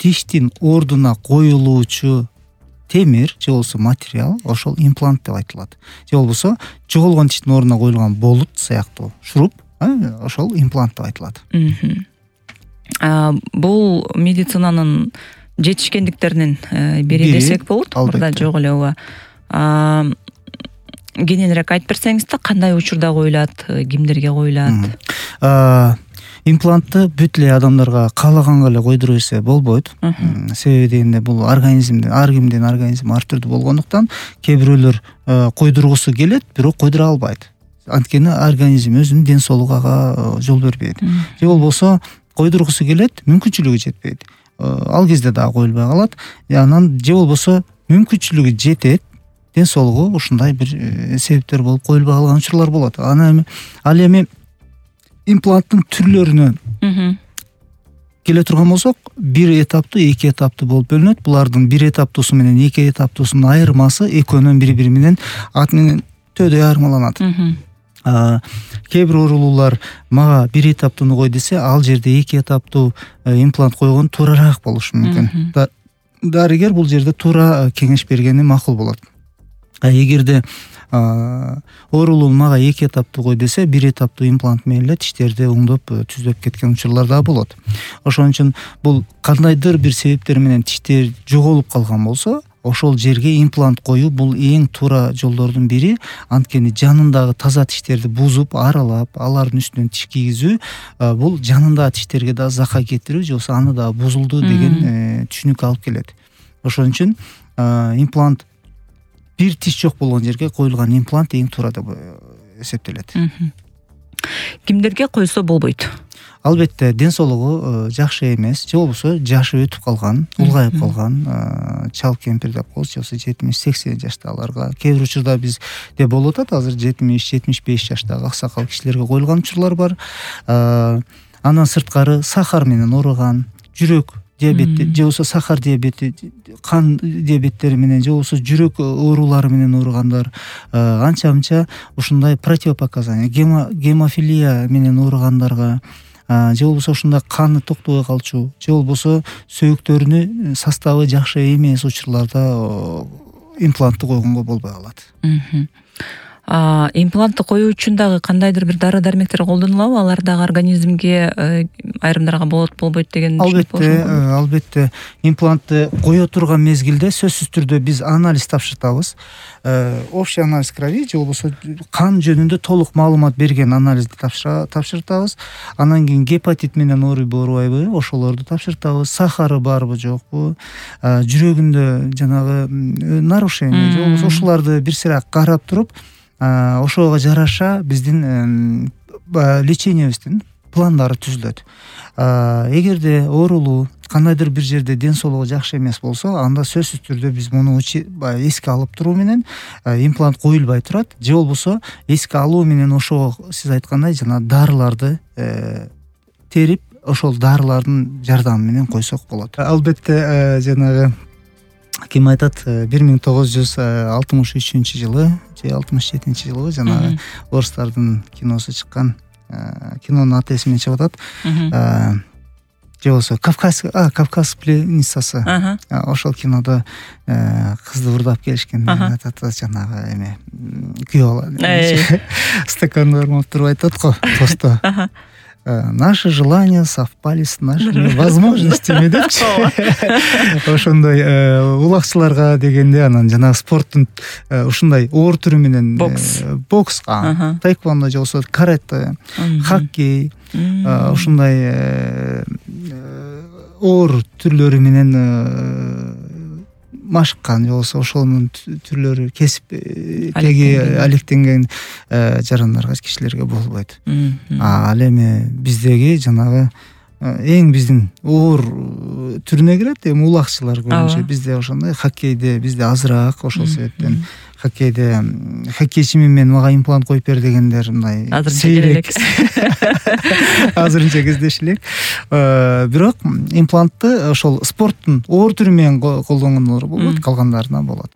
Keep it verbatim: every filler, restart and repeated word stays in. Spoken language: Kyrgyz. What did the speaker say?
тиштин ордуна коюлуучу темир же болбосо материал ошол имплант деп айтылат. Же болбосо жоголгон тиштин ордуна коюлган болут сыяктуу шуруп ошол имплант деп айтылат. Бул медицинанын жетишкендиктеринин бири десек болот. Мурда жок эле ооба. Кененирээк айтып берсеңиз да, кандай учурда коюлат, кимдерге коюлат? Имплантты бүт эле адамдарга каалаганга эле койдура берсе болбойт. Себеби дегенде бул организмдин ар кимдин организми ар түрдүү болгондуктан кээ бирөөлөр койдургусу келет, бирок койдура албайт. Анткени организм өзүнүн ден соолугу ага жол бербейт. Же болбосо койдургусу келет, мүмкүнчүлүгү жетпейт. Ал кезде дагы коюлбай калат. Анан же болбосо мүмкүнчүлүгү жетет, ден соолугу ушундай бир себептер болуп коюлбай калган учурлар болот. Анан ал эми импланттын түрлөрүнө келе турган болсок, бир этаптуу, эки этаптуу болуп бөлүнөт. Булардын бир этаптуусу менен эки этаптуусунун айырмасы экөөнүн бири-бири менен ат менен төдөй айырмаланат. Кээ бир оорулуулар мага бир этаптууну кой десе, ал жерде эки этаптуу имплант койгон туурараак болушу мүмкүн. Дарыгер бул жерде туура кеңеш бергени макул болот. Эгерде оорулуу мага эки этаптуу кой десе, бир этаптуу имплант менен эле тиштерди оңдоп түздөп кеткен учурлар да болот. Ошон үчүн бул кандайдыр бир себептер менен тиштер жоголуп калган болсо, ошол жерге имплант коюу бул эң туура жолдордун бири. Анткени жанындагы таза тиштерди бузуп, аралап, алардын үстүнөн тиш кийгизүү бул жанындагы тиштерге да зака кетирүү же болбосо аны да бузулду деген түшүнүккө алып келет. Ошон үчүн имплант бир тиш жок болгон жерге коюлган имплант эң туура деп эсептелет. Кимдерге койсо болбойт? Албетте, ден соолугу жакшы эмес, же болбосо жашы өтүп калган, улгайып калган чал кемпир деп коебуз, же болбосо жетимиш сексен жаштагыларга, кээ бир учурда бизде болуп атат, азыр жетимиш жетимиш беш жаштагы аксакал кишилерге коюлган учурлар бар. Андан сырткары сахар менен ооруган, жүрөк диабети же болбосо сахар диабети, кан диабеттери менен же болбосо жүрөк оорулары менен ооругандар, анча-мынча ушундай противопоказания, гемофилия менен ооругандарга, же болбосо ушундай каны токтобой калчу, же болбосо сөөктөрүнүн составы жакшы эмес учурларда имплантты койгонго болбой калат. Имплантты коюу үчүн дагы кандайдыр бир дары дармектер колдонулабы? Алар дагы организмге айрымдарга болот, болбойт деген түшүнүк болушу мүмкүн. Албетте, албетте. Имплантты кое турган мезгилде сөзсүз түрдө биз анализ тапшыртабыз. Общий анализ крови же болбосо кан жөнүндө толук маалымат берген анализди тапшыртабыз. Анан кийин гепатит менен оорубу, оорубайбы, ошолорду тапшыртабыз. Сахары барбы, жокпу, жүрөгүндө жанагы нарушение же болбосо ошолорду бир сыйра карап туруп, ошого жараша биздин лечениябиздин пландары түзүлөт. Эгерде оорулуу кандайдыр бир жерде ден соолугу жакшы эмес болсо, анда сөзсүз түрдө биз муну эске алып туруу менен имплант коюлбай турат. Же болбосо эске алуу менен ошого сиз айткандай жана дарыларды терип, ошол дарылардын жардамы менен койсок болот. Албетте, жанагы ким айтат, бир миң тогуз жүз алтымыш үчүнчү жылы же алтымыш жетинчи жылы жанагы орустардын киносу чыккан, кинонун аты эсимден чыгып атат. Же болбосо Кавказ, а Кавказ пленницасы. Ошол кинодо кызды урдап келишкен, атат жанагы эме күйөө стаканды бармап туруп айтат го посто. Наши желания совпали с нашими возможностями депчи. Ошондой улакчыларга дегенде, анан жана спорттун ушундай оор түрү менен бокс, таэквондо же болбосо карате, хоккей, ушундай оор түрлөрү менен машыккан же болбосо ошонун түрлөрү кесиптеги алектенген жарандарга, кишилерге болбойт. Ал эми биздеги жанагы эң биздин оор түрүнө кирет, эми улакчылар көбүнчө бизде ошондой. Хоккейде бизде азыраак, ошол себептен хоккейде хоккейчимин мен, мага имплант коюп бер дегендер мындай сейрек. Азырынча кездеши элек. Бирок имплантты ошол спорттун оор түрү менен колдонгондор болот, калгандарына болот.